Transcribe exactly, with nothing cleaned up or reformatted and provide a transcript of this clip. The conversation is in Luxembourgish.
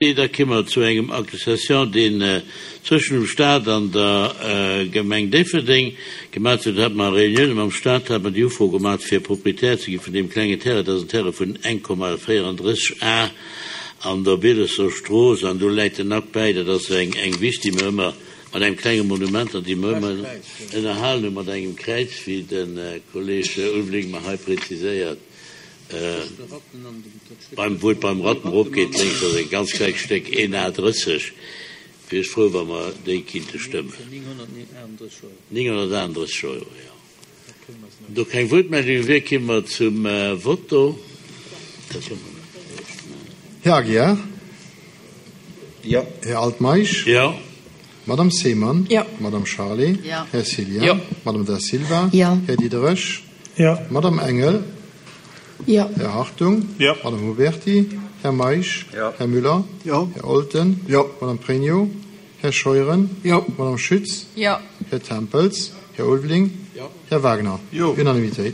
Da kéime mer zu engem Acte de cession, deen zwëschen dem Stat an der Gemeng Déifferdeng gemaach huet. Do hate mer Reunioune mam Stat, hate mer déi Ufro gemaach, fir Proprietär ze gi vun deem klengen Terrain. Dat ass en Terrain vun eng Komma véierandrësseg Ar an der Bielesser Strooss an do läit den Akt bäi. Dat ass eng eng Wiss, déi mer ëmmer mat engem klenge Monument an déi mer ëmmer ënnerhalen hu mat engem Kräiz, wéi de Kolleg Ulveling mer hei preziséiert. Beim, wou et beim Ratten eropgeet, lénks ass e ganz klengt Stéck, een A drësseg. Wier ech frou, wa mer déi kinnte stëmmen. nénghonnertaachunddrësseg Euro, jo. Do keng Wuertmeldunge wier, kéime mer zum Voto. Här Aguiar? Jo. Här Altmeisch? Jo. Madame Seemann? Jo. Madame Charlé? Jo. Här Cillien? Jo. Madame Da Silva? Jo. Här Diderich? Jo. Madame Engel? Jo. Här Hartung? Jo. Madame Huberty? Här Meisch? Jo. Här Müller? Jo. Här Olten? Jo. Madame Pregno? Här Scheuren? Jo. Madame Schütz? Jo. Här Tempels? Här Ulveling? Jo. Här Wagner? Jo. Unanimitéit.